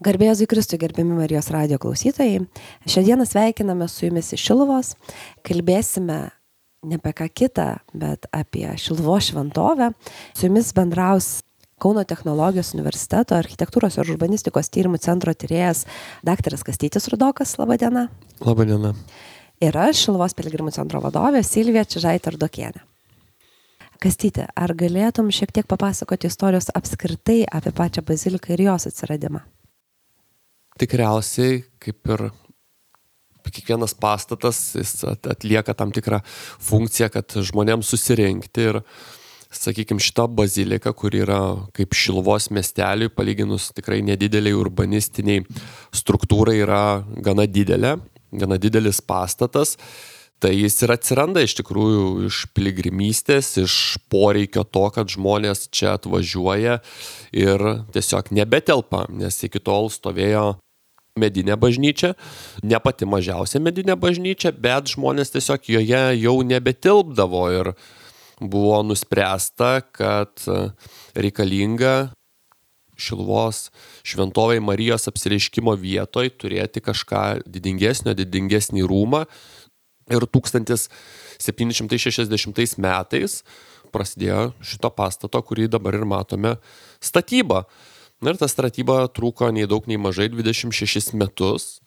Garbė Jėzui Kristui, gerbiami Marijos radijo klausytojai. Šiandieną sveikiname su jumis iš Šiluvos. Kalbėsime ne apie ką kitą, bet apie Šiluvos šventovę. Su jumis bendraus Kauno technologijos universiteto architektūros ir urbanistikos tyrimų centro tyrėjas daktaras Kastytis Rudokas. Labą dieną. Labą dieną. Ir aš, Šiluvos piligrimų centro vadovė Silvija Čižaitė-Rudokienė. Kastyti, ar galėtum šiek tiek papasakoti istorijos apskritai apie pačią baziliką ir jos atsiradimą? Tikriausiai, kaip ir kiekvienas pastatas, jis atlieka tam tikrą funkciją, kad žmonėms susirinkti ir, sakykime, šita bazilika, kur yra kaip Šiluvos miesteliui, palyginus tikrai nedideliai urbanistiniai struktūrai, yra gana didelis pastatas. Tai jis ir atsiranda iš tikrųjų iš piligrimystės, iš poreikio to, kad žmonės čia atvažiuoja ir tiesiog nebetelpa, nes iki tol stovėjo medinė bažnyčia, ne pati mažiausia medinė bažnyčia, bet žmonės tiesiog joje jau nebetilpdavo ir buvo nuspręsta, kad reikalinga Šiluvos šventovei Marijos apsireiškimo vietoj turėti kažką didingesnį rūmą. Ir 1760 metais prasidėjo šito pastato, kurį dabar ir matome, statyba. Ir ta statyba truko nei daug, nei mažai 26 metus.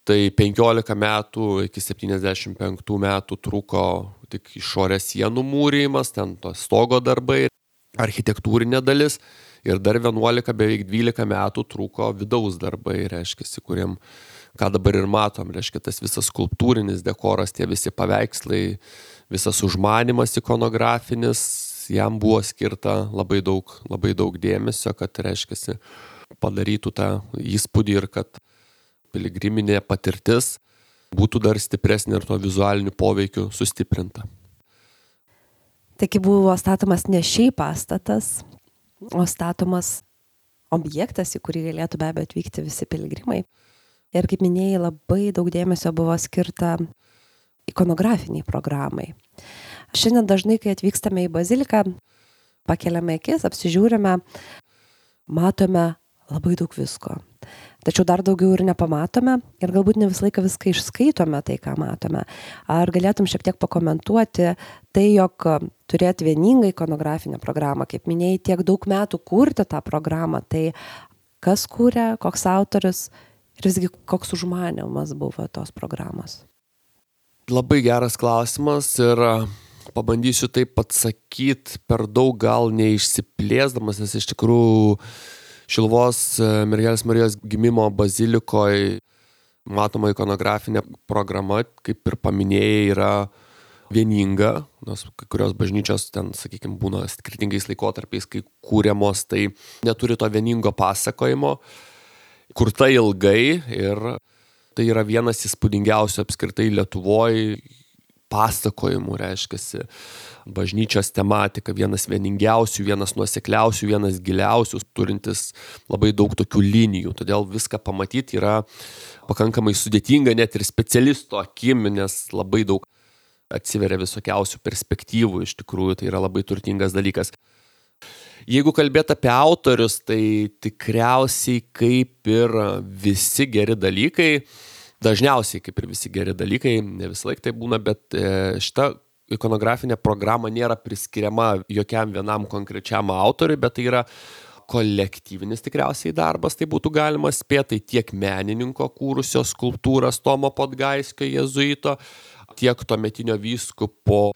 Tai 15 metų iki 75 metų truko tik išorės sienų mūrijimas, ten to stogo darbai, architektūrinė dalis. Ir dar 11, beveik 12 metų truko vidaus darbai, reiškia, kuriem, ką dabar ir matom, reiškia, tas visas skulptūrinis dekoras, tie visi paveikslai, visas užmanimas ikonografinis, jam buvo skirta labai daug dėmesio, kad, reiškia, padarytų tą įspūdį ir kad piligriminė patirtis būtų dar stipresnė ir to vizualinių poveikių sustiprinta. Taigi buvo statomas ne šiaip pastatas, o statomas objektas, į kurį galėtų be abejo atvykti visi piligrimai. Ir kaip minėjai, labai daug dėmesio buvo skirta ikonografiniai programai. Šiandien dažnai, kai atvykstame į baziliką, pakeliame akis, apsižiūrime, matome labai daug visko. Tačiau dar daugiau ir nepamatome ir galbūt ne visą laiką viską išskaitome tai, ką matome. Ar galėtum šiek tiek pakomentuoti tai, jog turėti vieningą ikonografinę programą, kaip minėjai, tiek daug metų kurti tą programą, tai kas kūrė, koks autorius ir visgi koks užmanymas buvo tos programos? Labai geras klausimas ir pabandysiu taip atsakyti per daug gal neišsiplėsdamas, nes iš tikrųjų Šiluvos Mergelės Marijos gimimo bazilikoje matoma ikonografinė programa, kaip ir paminėjai, yra vieninga, nes kai kurios bažnyčios ten, sakykime, būna skirtingais laikotarpiais, kai kūriamos, tai neturi to vieningo pasakojimo, kurta ilgai ir tai yra vienas įspūdingiausių apskritai Lietuvoje pasakojimų, reiškiasi, bažnyčios tematika, vienas vieningiausių, vienas nuosekliausių, vienas giliausių, turintis labai daug tokių linijų. Todėl viską pamatyti yra pakankamai sudėtinga net ir specialisto akimi, nes labai daug atsiveria visokiausių perspektyvų, iš tikrųjų tai yra labai turtingas dalykas. Jeigu kalbėt apie autorius, tai tikriausiai kaip ir visi geri dalykai, dažniausiai kaip ir visi geri dalykai, ne visą laiką tai būna, bet šita ikonografinė programa nėra priskiriama jokiam vienam konkrečiam autoriui, bet tai yra kolektyvinis tikriausiai darbas, tai būtų galima spėti, tiek menininko kūrusio skulptūras Tomo Podgaiskio jėzuito, tiek tuometinio vyskupo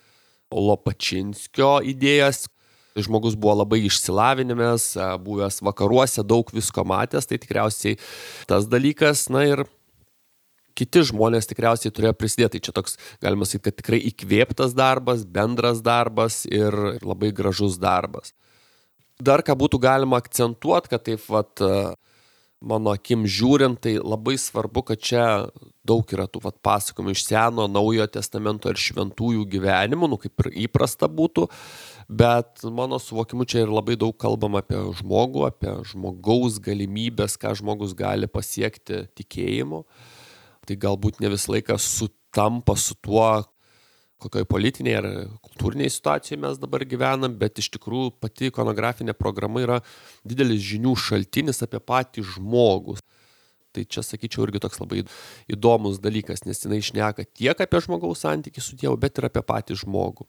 Lopačinskio idėjas. Žmogus buvo labai išsilavinęs, buvęs vakaruose, daug visko matęs, tai tikriausiai tas dalykas, na ir kiti žmonės tikriausiai turėjo prisidėti. Tai čia toks, galima sakyti, kad tikrai įkvėptas darbas, bendras darbas ir labai gražus darbas. Dar ką būtų galima akcentuoti, kad taip mano akim žiūrint, tai labai svarbu, kad čia daug yra tų pasakojimų iš Seno, Naujojo testamento ir šventųjų gyvenimų, kaip ir įprasta būtų, bet mano suvokimu čia ir labai daug kalbama apie žmogų, apie žmogaus galimybės, ką žmogus gali pasiekti tikėjimu. Tai galbūt ne visą laiką sutampa su tuo, kokioj politinėje ar kultūrinėje situacijoje mes dabar gyvenam, bet iš tikrųjų pati ikonografinė programa yra didelis žinių šaltinis apie patį žmogų. Tai čia, sakyčiau, irgi toks labai įdomus dalykas, nes jinai šneka tiek apie žmogaus santykį su Dievu, bet ir apie patį žmogų.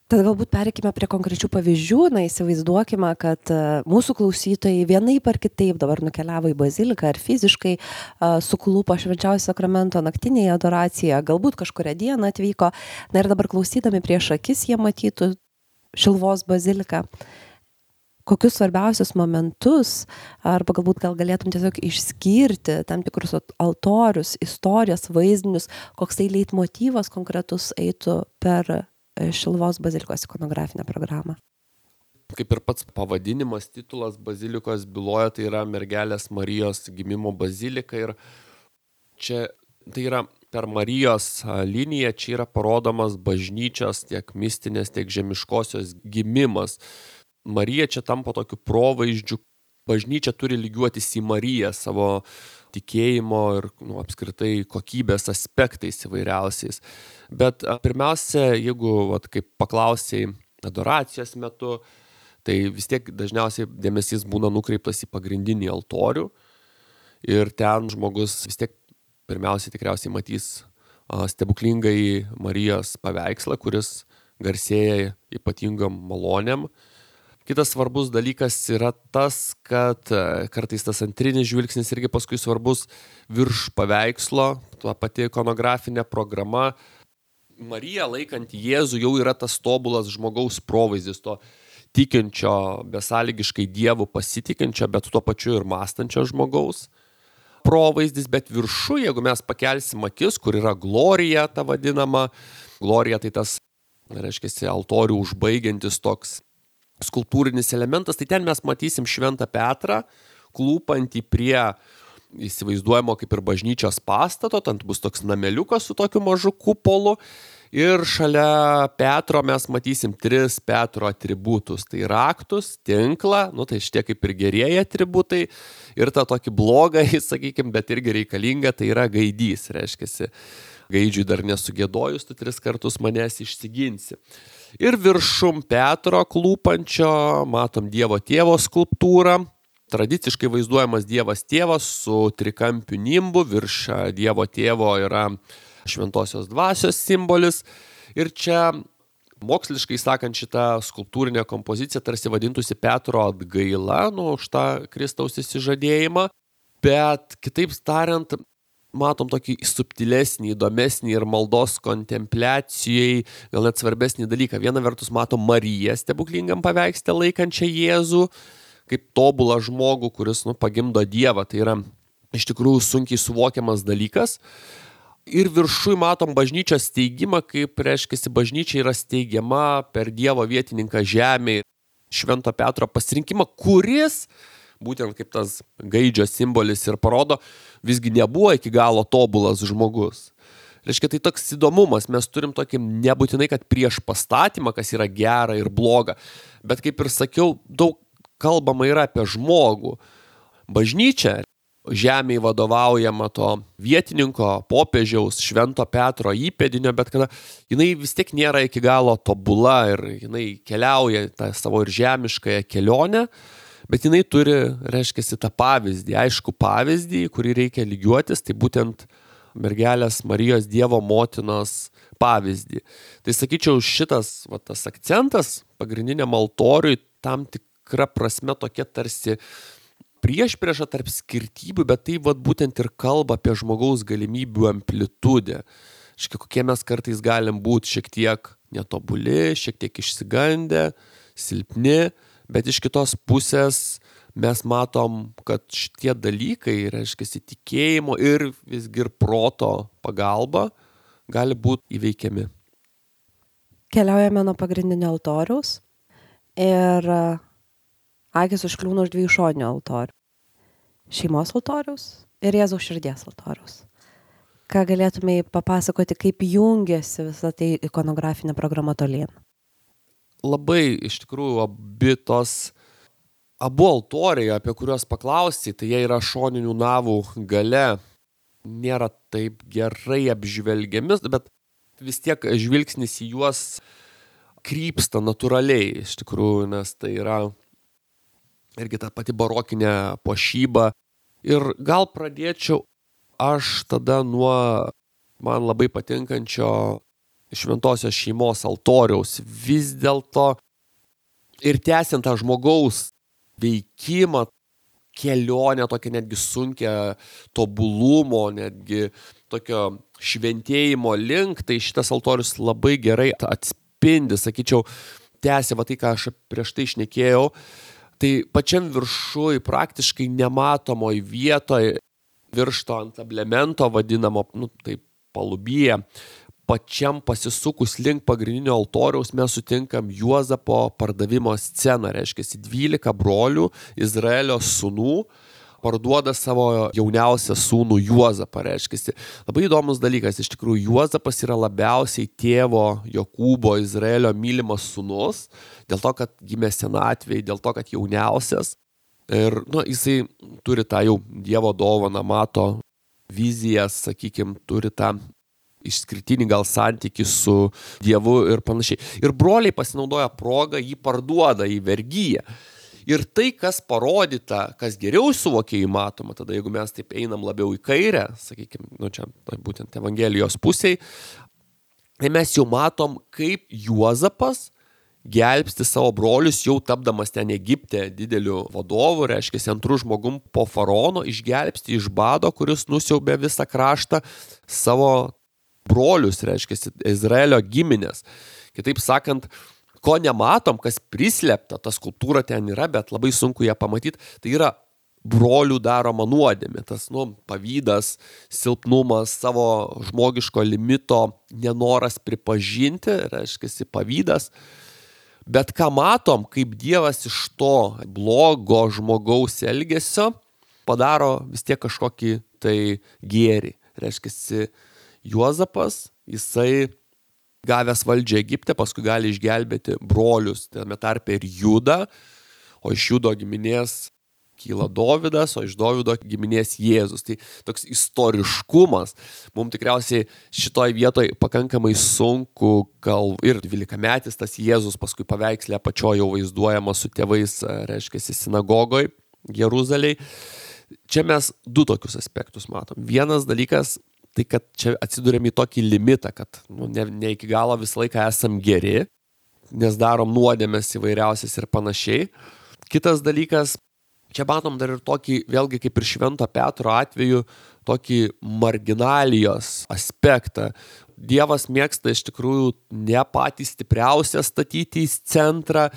Tad galbūt pereikime prie konkrečių pavyzdžių. Įsivaizduokime, kad mūsų klausytojai vienaip ar kitaip dabar nukeliavo į baziliką ar fiziškai suklupo Švenčiausio sakramento naktinėje adoracijoje, galbūt kažkurią dieną atvyko. Na ir dabar klausydami prieš akis jie matytų Šiluvos baziliką. Kokius svarbiausius momentus, arba galbūt galėtum tiesiog išskirti tam tikrus altorius, istorijas, vaizdinius, koks tai leitmotyvas konkretus eitų per Šiluvos bazilikos ikonografinę programą. Kaip ir pats pavadinimas, titulas bazilikos byloja, tai yra Mergelės Marijos gimimo bazilika ir čia tai yra per Marijos liniją, čia yra parodomas bažnyčios tiek mistinės, tiek žemiškosios gimimas. Marija čia tampa tokiu provaizdžiu, bažnyčia turi lygiuotis į Mariją savo tikėjimo ir apskritai kokybės aspektais įvairiausiais. Bet pirmiausia, jeigu kaip paklausėjai adoracijos metu, tai vis tiek dažniausiai dėmesys būna nukreiptas į pagrindinį altorių ir ten žmogus vis tiek pirmiausiai tikriausiai matys stebuklingai Marijos paveikslą, kuris garsėja ypatingom malonėm. Kitas svarbus dalykas yra tas, kad kartais tas antrinis žvilgsnis irgi paskui svarbus virš paveikslo, tuo pati ikonografinė programa. Marija laikant Jėzų jau yra tas tobulas žmogaus provaizdis, to tikinčio, besąlygiškai Dievu pasitikinčio, bet tuo pačiu ir mąstančio žmogaus provaizdis, bet viršų, jeigu mes pakelsim akis, kur yra glorija ta vadinama, glorija tai tas, reiškia, altorių užbaigiantis toks skulptūrinis elementas, tai ten mes matysim Šventą Petrą, klūpantį prie įsivaizduojamo kaip ir bažnyčios pastato, ten bus toks nameliukas su tokiu mažu kupolu ir šalia Petro mes matysim 3 Petro atributus, tai raktus, tinklą, tai šitie kaip ir gerieji atributai ir tą tokį blogą, sakykim, bet irgi reikalinga, tai yra gaidys, reiškiasi. Gaidžiui dar nesugėdojus, tu 3 kartus manęs išsiginsi. Ir viršum Petro klūpančio matom Dievo tėvo skulptūrą. Tradiciškai vaizduojamas Dievas tėvas su trikampiu nimbu. Virš Dievo tėvo yra šventosios dvasios simbolis. Ir čia moksliškai sakant šitą skulptūrinę kompoziciją tarsi vadintųsi Petro atgaila, už tą Kristaus išsižadėjimą. Bet kitaip tariant, matom tokį subtilesnį, įdomesnį ir maldos kontempliacijai, gal net svarbesnį dalyką. Viena vertus matom Mariją stebuklingam paveiksle laikančią Jėzų, kaip tobulą žmogų, kuris pagimdo Dievą. Tai yra iš tikrųjų sunkiai suvokiamas dalykas. Ir viršui matom bažnyčios steigimą, kaip reiškiasi bažnyčia yra steigiama per Dievo vietininką žemėje, Švento Petro pasirinkimą, kuris būtent kaip tas gaidžio simbolis ir parodo, visgi nebuvo iki galo tobulas žmogus. Reiškia, tai toks įdomumas, mes turim tokį nebūtinai, kad prieš pastatymą, kas yra gera ir bloga, bet kaip ir sakiau, daug kalbama yra apie žmogų. Bažnyčia, žemėje vadovaujama to vietininko, popiežiaus, Švento Petro įpėdinio, bet kada jinai vis tiek nėra iki galo tobula ir jinai keliauja tą savo ir žemiškąją kelionę, bet jinai turi, reiškiasi, tą pavyzdį, aišku pavyzdį, kurį reikia lygiuotis, tai būtent Mergelės Marijos Dievo motinos pavyzdį. Tai sakyčiau, šitas tas akcentas pagrindiniam altoriui tam tikra prasme tokia tarsi priešprieša tarp skirtybių, bet tai būtent ir kalba apie žmogaus galimybių amplitudę. Kokie mes kartais galim būti šiek tiek netobuli, šiek tiek išsigandę, silpni, bet iš kitos pusės mes matom, kad šitie dalykai, reiškia, tikėjimo ir visgi ir proto pagalba gali būti įveikiami. Keliaujame nuo pagrindinio altoriaus ir akis užkliūna už 2 šoninių altorių. Šeimos altoriaus ir Jėzaus širdies altoriaus. Ką galėtumai papasakoti, kaip jungiasi visą tai ikonografinė programa tolyn? Labai iš tikrųjų abu altoriai, apie kuriuos paklausai, tai jie yra šoninių navų gale, nėra taip gerai apžvelgiami, bet vis tiek žvilgsnis į juos krypsta natūraliai, iš tikrųjų, nes tai yra irgi ta pati barokinė puošyba. Ir gal pradėčiau aš tada nuo man labai patinkančio šventosios šeimos altoriaus. Vis dėlto ir tęsiant tą žmogaus veikimą, kelionę tokią netgi sunkią tobulumo, netgi tokio šventėjimo link, tai šitas altorius labai gerai atspindi, sakyčiau, tęsia tai, ką aš prieš tai šnekėjau. Tai pačiam viršui, praktiškai nematomoj vietoje, virš to antablemento vadinamo, tai palubyje, pačiam pasisukus link pagrindinio altoriaus mes sutinkam Juozapo pardavimo sceną, reiškia 12 brolių Izraelio sūnų parduoda savo jauniausią sūnų Juozapą, reiškia. Labai įdomus dalykas, iš tikrųjų Juozapas yra labiausiai tėvo Jokūbo Izraelio mylimas sūnus, dėl to, kad gimė senatvėj, dėl to, kad jauniausias. Ir jisai turi tą jau Dievo dovaną, mato vizijas, sakykime, turi tą išskirtinį gal santykį su Dievu ir panašiai. Ir broliai pasinaudoja progą, jį parduoda į vergyją. Ir tai, kas parodyta, kas geriau suvokia įmatoma, tada jeigu mes taip einam labiau į kairę, sakykime, čia būtent Evangelijos pusėj, tai mes jau matom, kaip Juozapas gelbsti savo brolius, jau tapdamas ten Egipte dideliu vadovu, reiškia, antrų žmogum po faraono, išgelbsti iš bado, kuris nusiaubė visą kraštą, savo brolius, reiškia, Izraelio giminės. Kitaip sakant, ko nematom, kas prislėpta, ta skulptūra ten yra, bet labai sunku ją pamatyti, tai yra brolių daroma nuodėmė, tas pavydas, silpnumas, savo žmogiško limito nenoras pripažinti, reiškia, pavydas. Bet ką matom, kaip Dievas iš to blogo žmogaus elgesio padaro vis tiek kažkokį tai gėrį. Reiškia, Juozapas, jisai gavęs valdžią Egipte, paskui gali išgelbėti brolius, tame tarpe ir Judą, o iš Judo giminės kyla Dovydas, o iš Dovydo giminės Jėzus. Tai toks istoriškumas. Mums tikriausiai šitoj vietoj pakankamai sunku, ir 12-metis tas Jėzus paskui paveikslė apačioje jau vaizduojamas su tėvais, reiškia, sinagogoj Jeruzalėj. Čia mes du tokius aspektus matom. Vienas dalykas, tai kad čia atsidurėm į tokį limitą, kad ne iki galo visą laiką esam geri, nes darom nuodėmes įvairiausias ir panašiai. Kitas dalykas, čia matom dar ir tokį, vėlgi kaip ir Švento Petro atveju, tokį marginalijos aspektą. Dievas mėgsta iš tikrųjų ne patį stipriausią statyti į centrą,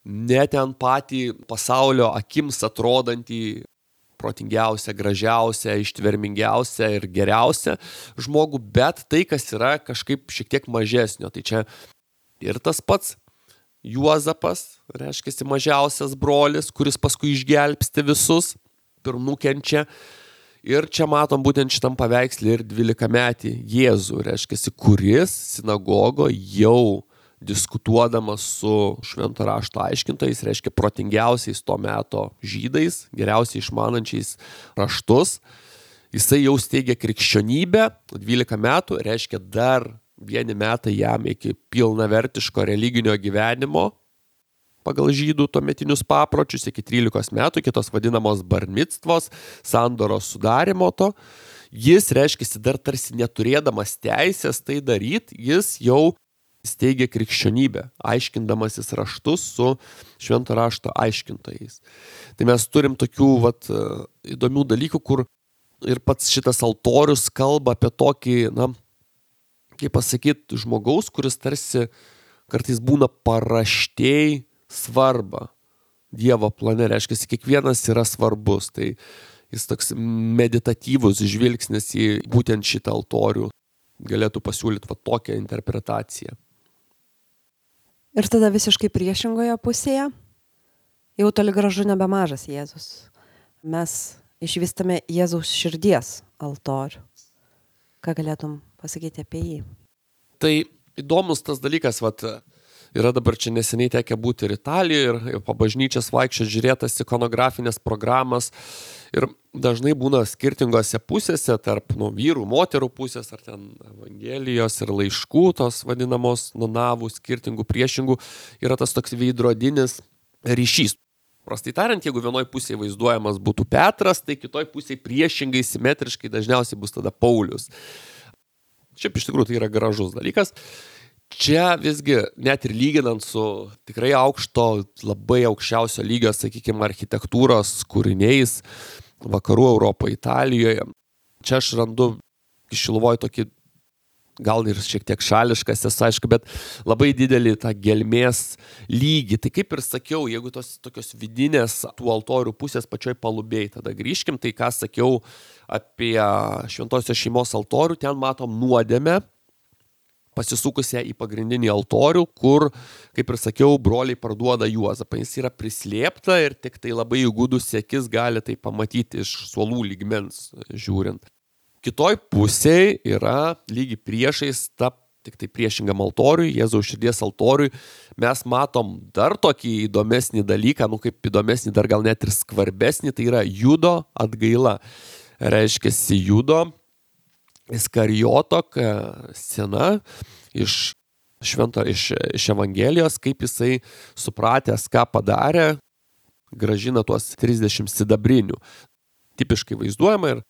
ne ten patį pasaulio akims atrodantį protingiausia, gražiausia, ištvermingiausia ir geriausia žmogų, bet tai, kas yra kažkaip šiek tiek mažesnio. Tai čia ir tas pats Juozapas, reiškia, mažiausias brolis, kuris paskui išgelbsti visus, ir nukenčia. Ir čia matom būtent šitam paveikslį ir 12-metį Jėzų, reiškia, kuris sinagogo jau diskutuodamas su švento rašto aiškintojais, reiškia protingiausiais to meto žydais, geriausiai išmanančiais raštus. Jisai jau steigia krikščionybę, 12 metų, reiškia dar 1 metai jam iki pilnavertiško religinio gyvenimo pagal žydų tuometinius papročius, iki 13 metų, kitos vadinamos barmictvos, sandoros sudarimo to. Jis, reiškia, dar tarsi neturėdamas teisės tai daryti, jis jau steigia krikščionybę, aiškindamasis raštus su švento rašto aiškintojais. Tai mes turim tokių įdomių dalykų, kur ir pats šitas altorius kalba apie tokį, kaip pasakyti, žmogaus, kuris tarsi kartais būna paraštėj svarbą Dievo plane, reiškia, kiekvienas yra svarbus. Tai jis toks meditatyvus žvilgsnis į būtent šitą altorių galėtų pasiūlyti tokią interpretaciją. Ir tada visiškai priešingoje pusėje jau toli gražu nebemažas Jėzus. Mes išvystame Jėzaus širdies altorių. Ką galėtum pasakyti apie jį? Tai įdomus tas dalykas, Yra dabar čia neseniai tekę būti ir Italijoje, ir po bažnyčias vaikščioti, žiūrėtas ikonografinės programas. Ir dažnai būna skirtingose pusėse, tarp vyrų, moterų pusės, ar ten evangelijos ir laiškų, tos vadinamos nonavų, skirtingų priešingų, yra tas toks veidrodinis ryšys. Prastai tariant, jeigu vienoj pusėje vaizduojamas būtų Petras, tai kitoj pusėje priešingai, simetriškai dažniausiai bus tada Paulius. Šiaip iš tikrųjų tai yra gražus dalykas. Čia visgi, net ir lyginant su tikrai aukšto, labai aukščiausio lygio, sakykime, architektūros kūriniais vakarų Europoje, Italijoje, čia aš randu Šiluvoj tokį, gal ir šiek tiek šališkas, aišku, bet labai didelį tą gelmės lygį. Tai kaip ir sakiau, jeigu tos tokios vidinės tų altorių pusės pačioj Palubėj, tada grįžkim, tai ką sakiau apie šventosios šeimos altorių, ten matom nuodėmę, pasisukusią į pagrindinį altorių, kur, kaip ir sakiau, broliai parduoda Juozapą. Jis yra prislėpta ir tik tai labai įgudus akis gali tai pamatyti iš suolų lygmens žiūrint. Kitoj pusėje yra lygiai priešais ta tik tai priešingam altoriui, Jėzaus širdies altoriui. Mes matom dar tokį įdomesnį dalyką, kaip įdomesnį, dar gal net ir skvarbesnį, tai yra Judo atgaila. Reiškiasi Judo Iskarijoto scena iš Evangelijos, kaip jisai supratęs, ką padarė, grąžina tuos 30 sidabrinių. Tipiškai vaizduojama ir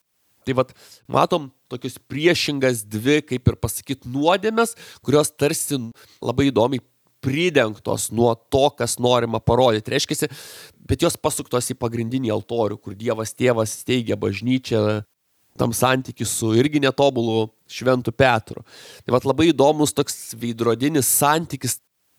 tai matom tokius priešingas dvi, kaip ir pasakyti, nuodėmes, kurios tarsi labai įdomiai pridengtos nuo to, kas norima parodyti. Reiškiasi, bet jos pasuktos į pagrindinį altorių, kur Dievas tėvas steigia bažnyčią, tam santykiu su irgi netobulu šventu Petru. Tai labai įdomus toks veidrodinis santykis.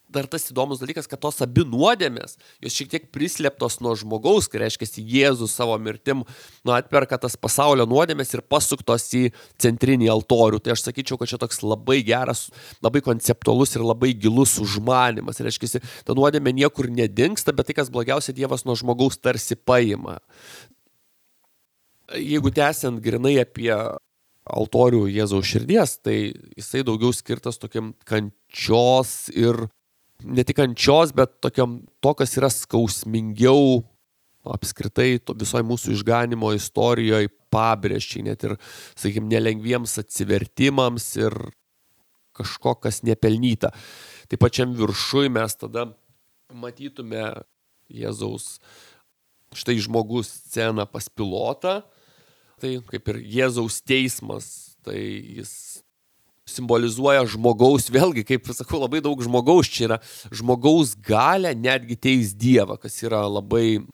Dar tas įdomus dalykas, kad tos abi nuodėmės, jos šiek tiek prislėptos nuo žmogaus, kai reiškia Jėzus savo mirtim atperka tas pasaulio nuodėmės ir pasuktos į centrinį altorių. Tai aš sakyčiau, kad čia toks labai geras, labai konceptualus ir labai gilus užmanymas. Reiškia, ta nuodėmė niekur nedingsta, bet tai, kas blogiausia, Dievas nuo žmogaus tarsi paima. Jeigu tęsiant grinai apie altorių Jėzaus širdies, tai jisai daugiau skirtas tokiam kančios ir ne tik kančios, bet tokiam to, kas yra skausmingiau apskritai visoje mūsų išganimo istorijoje pabrėžčiai, net ir, sakykime, nelengviems atsivertimams ir kažko, kas nepelnyta. Tai pačiam viršui mes tada matytume Jėzaus štai žmogus sceną pas Pilotą. Tai kaip ir Jėzaus teismas, tai jis simbolizuoja žmogaus, vėlgi, kaip sakau, labai daug žmogaus, čia yra žmogaus galia netgi teis Dievą, kas yra labai,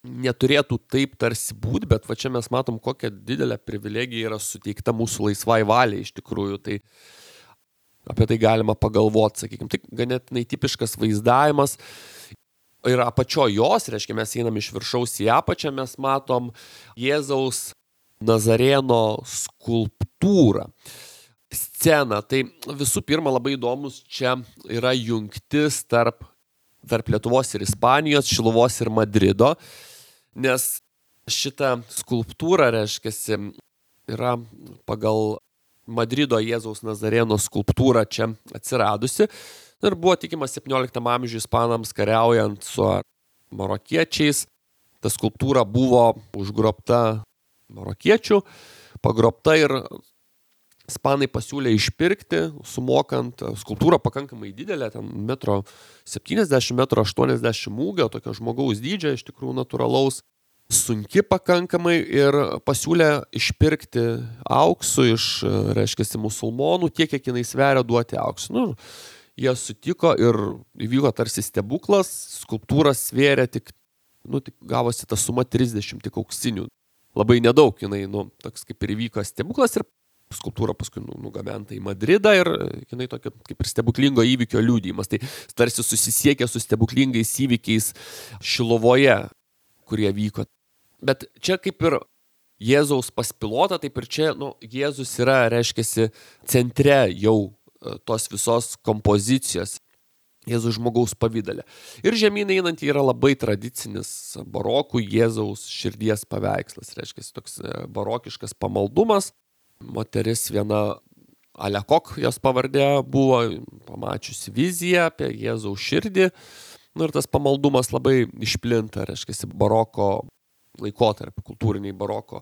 neturėtų taip tarsi būti, bet čia mes matom, kokią didelę privilegiją yra suteikta mūsų laisvai valiai iš tikrųjų, tai apie tai galima pagalvoti, sakykime, tai ganėtinai tipiškas vaizdavimas. Ir apačio jos, reiškia, mes einam iš viršaus į apačią, mes matom Jėzaus Nazareno skulptūrą, sceną. Tai visų pirma labai įdomus čia yra jungtis tarp Lietuvos ir Ispanijos, Šiluvos ir Madrido, nes šita skulptūra, reiškia, yra pagal Madrido Jėzaus Nazareno skulptūrą čia atsiradusi. Ir buvo tikima 17 amžiuje ispanams kariaujant su marokiečiais. Ta skulptūra buvo užgrobta marokiečių, pagrobta ir ispanai pasiūlė išpirkti, sumokant. Skulptūra pakankamai didelė, ten 1,70 m, 1,80 m ūgio, tokio žmogaus dydžio, iš tikrųjų natūralaus, sunki pakankamai ir pasiūlė išpirkti auksu iš, reiškia, musulmonų, tiek, kiek jinai sveria, duoti auksu. Jie sutiko ir įvyko tarsi stebuklas, skulptūra svėrė tik gavosi ta suma 30 tik auksinių. Labai nedaug, jinai, toks kaip ir įvyko stebuklas ir skulptūra paskui nugabenta į Madridą ir jinai tokia kaip ir stebuklingo įvykio liudijimas. Tai tarsi susisiekė su stebuklingais įvykiais Šiluvoje, kurie vyko. Bet čia kaip ir Jėzaus pas Pilotą, taip ir čia, Jėzus yra, reiškiasi, centre jau tos visos kompozicijos, Jėzaus žmogaus pavydale. Ir žemyn einant yra labai tradicinis barokų Jėzaus širdies paveikslas, reiškia toks barokiškas pamaldumas. Moteris viena Alekok jos pavardė buvo, pamačiusi viziją apie Jėzaus širdį. Ir tas pamaldumas labai išplinta, reiškia, baroko laikotarpį, kultūriniai baroko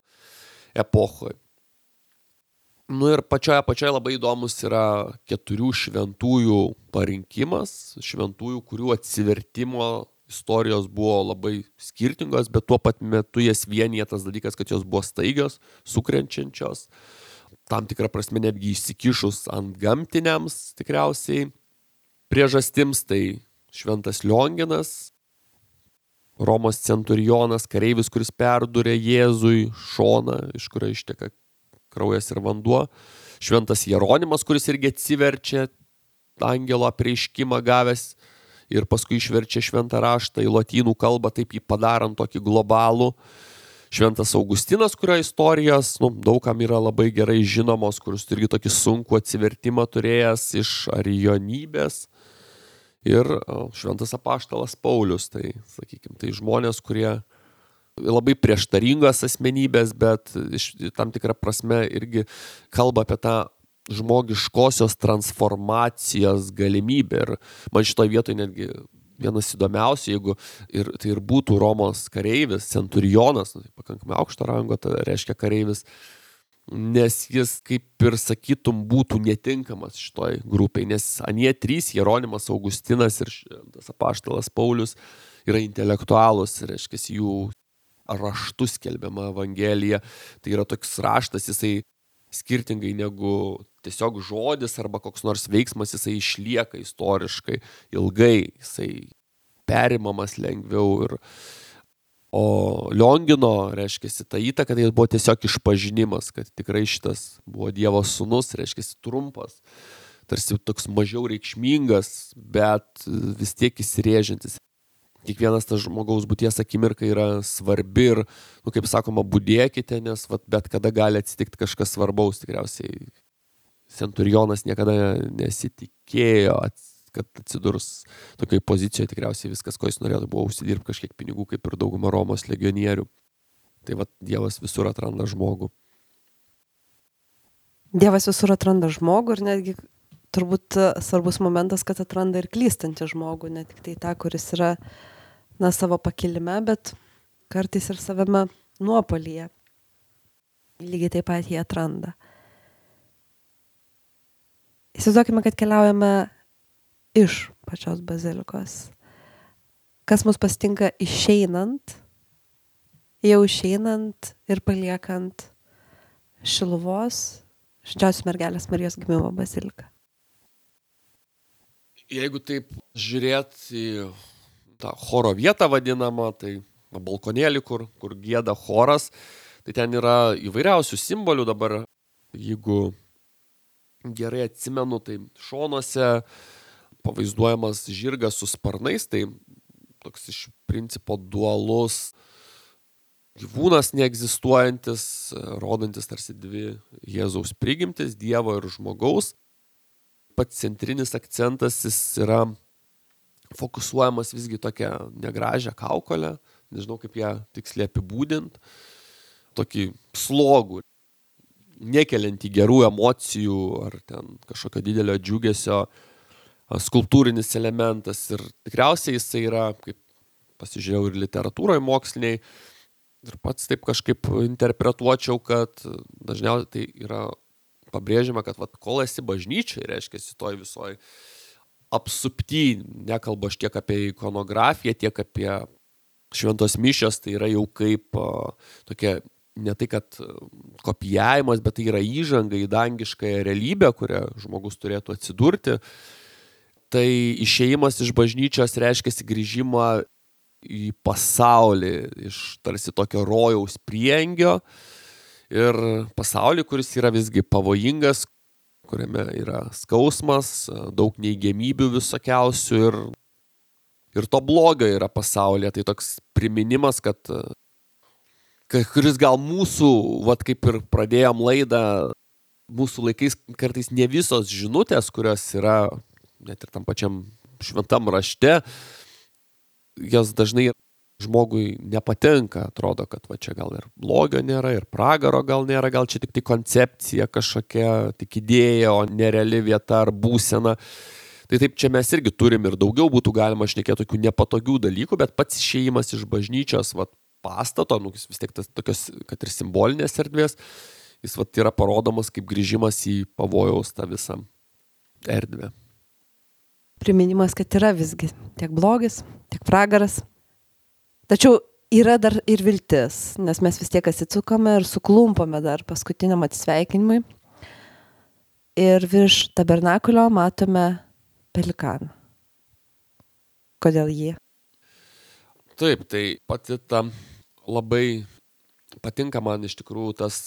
epochoje. Ir pačioje labai įdomus yra 4 šventųjų parinkimas, šventųjų, kurių atsivertimo istorijos buvo labai skirtingos, bet tuo pat metu jas vienija tas dalykas, kad jos buvo staigios, sukrenčiančios, tam tikrą prasme netgi įsikišus ant gamtiniams tikriausiai priežastims. Tai šventas Lionginas, Romos centurionas, kareivis, kuris perdūrė Jėzui šoną, iš kurio išteka kraujas ir vanduo. Šventas Jeronimas, kuris irgi atsiverčia angelo apreiškimą gavęs ir paskui išverčia šventą raštą į lotynų kalbą, taip jį padarant tokį globalų. Šventas Augustinas, kurio istorijos daugam yra labai gerai žinomos, kuris irgi tokį sunkų atsivertimą turėjęs iš arijonybės. Ir šventas apaštalas Paulius, tai, sakykime, tai žmonės, kurie labai prieštaringos asmenybės, bet tam tikrą prasme irgi kalba apie tą žmogiškosios transformacijos galimybę. Ir man šitoje vietoje netgi vienas įdomiausių, jeigu tai ir būtų Romos kareivis, centurionas, tai pakankamai aukšto rango, tai reiškia kareivis, nes jis, kaip ir sakytum, būtų netinkamas šitoj grupiai, nes anie 3, Jeronimas, Augustinas ir tas apaštalas Paulius, yra intelektualus, reiškia, jų raštus skelbiama Evangelija. Tai yra toks raštas, jisai skirtingai negu tiesiog žodis arba koks nors veiksmas, jisai išlieka istoriškai ilgai, jisai perimamas lengviau. O Liongino, reiškia, ta įtaka, tai buvo tiesiog išpažinimas, kad tikrai šitas buvo Dievo sūnus, reiškia, trumpas, tarsi toks mažiau reikšmingas, bet vis tiek įsirėžiantis. Kiekvienas tas žmogaus būties akimirka yra svarbi ir, kaip sakoma, budėkite, nes bet kada gali atsitikti kažkas svarbaus. Tikriausiai centurionas niekada nesitikėjo, kad atsidurs tokiai pozicijoje. Tikriausiai viskas, ko jis norėjo, buvo užsidirbti kažkiek pinigų, kaip ir dauguma Romos legionierių. Tai Dievas visur atranda žmogų. Dievas visur atranda žmogų ir netgi turbūt svarbus momentas, kad atranda ir klystantį žmogų, ne tik tai tą, kuris yra savo pakilime, bet kartais ir savame nuopolyje. Lygiai taip pat jį atranda. Įsivaizduokime, kad keliaujame iš pačios bazilikos. Kas mus pasitinka išeinant, jau išeinant ir paliekant Šiluvos Švenčiausios Mergelės Marijos Gimimo baziliką. Jeigu taip žiūrėt į tą choro vietą vadinamą, tai balkonėlį, kur gieda choras, tai ten yra įvairiausių simbolių dabar. Jeigu gerai atsimenu, tai šonuose pavaizduojamas žirgas su sparnais, tai toks iš principo dualus gyvūnas neegzistuojantis, rodantis tarsi 2 Jėzaus prigimtis, Dievo ir žmogaus. Pats centrinis akcentas jis yra fokusuojamas visgi tokią negražią kaukolę, nežinau kaip ją tiksliai apibūdint, tokį slogų, nekeliantį gerų emocijų ar ten kažkokio didelio džiugesio skulptūrinis elementas. Ir tikriausiai jisai yra, kaip pasižiūrėjau ir literatūroje moksliniai, ir pats taip kažkaip interpretuočiau, kad dažniausiai tai yra pabrėžiama, kad kol esi bažnyčiai, reiškia, toj visoj apsupty, nekalbu aš tiek apie ikonografiją, tiek apie šventos mišios, tai yra jau kaip tokia, ne tai kad kopijavimas, bet tai yra įžanga į dangiškąją realybę, kurią žmogus turėtų atsidurti. Tai išėjimas iš bažnyčios reiškia grįžimą į pasaulį, iš tarsi tokio rojaus priengio ir pasaulį, kuris yra visgi pavojingas, kuriame yra skausmas, daug neigiamybių visokiausių ir to blogio yra pasaulyje. Tai toks priminimas, kad kuris gal mūsų, kaip ir pradėjom laidą, mūsų laikais kartais ne visos žinutės, kurios yra net ir tam pačiam šventam rašte, jos dažnai žmogui nepatinka, atrodo, kad va čia gal ir blogio nėra, ir pragaro gal nėra, gal čia tik tai koncepcija kažkokia, tik idėja, o nereali vieta ar būsena. Tai taip čia mes irgi turim ir daugiau būtų galima šnekėti tokių nepatogių dalykų, bet pats išėjimas iš bažnyčios pastato, vis tiek tas tokios, kad ir simbolinės erdvės, jis yra parodomas kaip grįžimas į pavojaus tą visą erdvę. Priminimas, kad yra visgi tiek blogis, tiek pragaras. Tačiau yra dar ir viltis, nes mes vis tiek atsisukame ir suklumpame dar paskutiniam atsisveikinimui. Ir virš tabernakulio matome pelikaną. Kodėl jį? Taip, tai pati ta labai patinka man iš tikrųjų tas,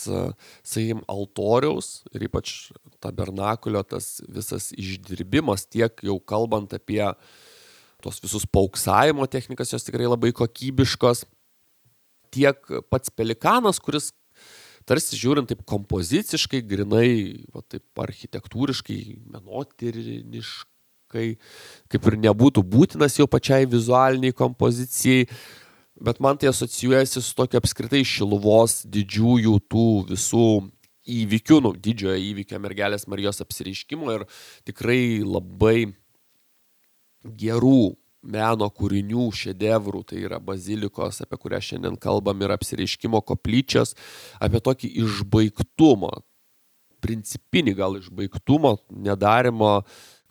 sakykim, altoriaus ir ypač tabernakulio tas visas išdirbimas, tiek jau kalbant apie tos visus pauksavimo technikas, jos tikrai labai kokybiškos, tiek pats pelikanas, kuris tarsi žiūrint taip kompoziciškai, grinai, taip architektūriškai, menotyriniškai, kaip ir nebūtų būtinas jau pačiai vizualiniai kompozicijai, bet man tai asocijuojasi su tokia apskritai Šiluvos didžiųjų tų visų įvykių, didžiojo įvykio Mergelės Marijos apsireiškimo ir tikrai labai gerų meno kūrinių, šedevrų, tai yra bazilikos, apie kurią šiandien kalbam, ir apsireiškimo koplyčios, apie tokį išbaigtumą, principinį gal išbaigtumą, nedarimo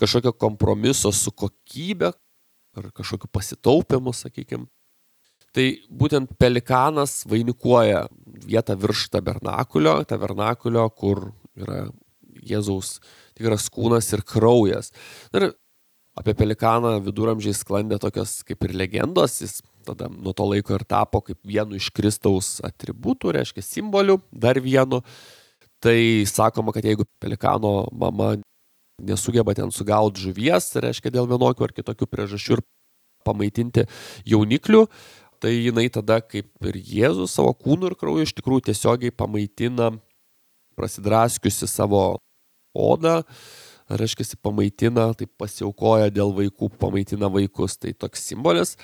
kažkokio kompromiso su kokybė ar kažkokiu pasitaupimu, sakykime. Tai būtent pelikanas vainikuoja vietą virš tabernakulio, kur yra Jėzaus tikras kūnas ir kraujas. Ir apie pelikaną viduramžiais sklandė tokios kaip ir legendos, jis tada nuo to laiko ir tapo kaip vienu iš Kristaus atributų, reiškia simbolių, dar vienu. Tai sakoma, kad jeigu pelikano mama nesugeba ten sugauti žuvies, reiškia dėl vienokių ar kitokių priežasčių ir pamaitinti jauniklių, tai jinai tada kaip ir Jėzus savo kūnu ir krauju iš tikrųjų tiesiogiai pamaitina, prasidraskiusi savo odą, reiškia, pamaitina, tai pasiaukoja dėl vaikų, pamaitina vaikus, tai toks simbolis.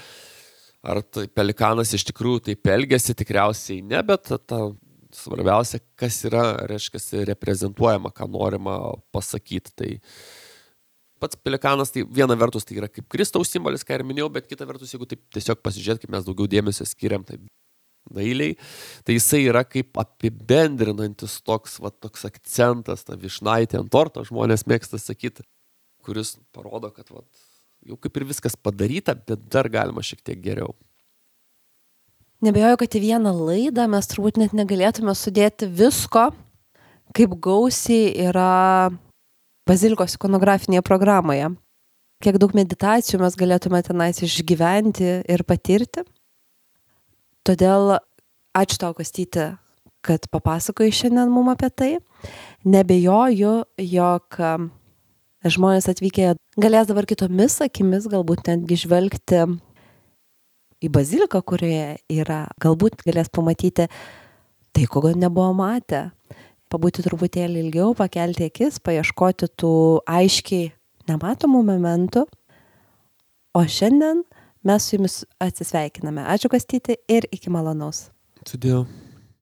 Ar tai pelikanas iš tikrųjų taip elgiasi, tikriausiai ne, bet svarbiausia, kas yra, reiškia, reprezentuojama, ką norima pasakyti. Tai pats pelikanas, tai viena vertus tai yra kaip Kristaus simbolis, ką ir minėjau, bet kita vertus, jeigu taip tiesiog pasižiūrėt, kaip mes daugiau dėmesio skiriam, tai dailiai, tai jisai yra kaip apibendrinantis toks akcentas, ta vyšnaitė ant torto, žmonės mėgsta sakyti, kuris parodo, kad jau kaip ir viskas padaryta, bet dar galima šiek tiek geriau. Nebejoju, kad į vieną laidą mes turbūt net negalėtume sudėti visko, kaip gausiai yra bazilikos ikonografinėje programoje. Kiek daug meditacijų mes galėtume tenais išgyventi ir patirti. Todėl ačiū tau, Kastyti, kad papasakojai šiandien mum apie tai. Nebejoju, jog žmonės atvykę galės dabar kitomis akimis galbūt netgi žvelgti į baziliką, kurioje yra. Galbūt galės pamatyti tai, ko nebuvo matę. Pabūti truputėlį ilgiau, pakelti akis, paieškoti tų aiškiai nematomų momentų. O šiandien mes su jumis atsisveikiname. Ačiū, Kastyti, ir iki malonaus. Sudėjau.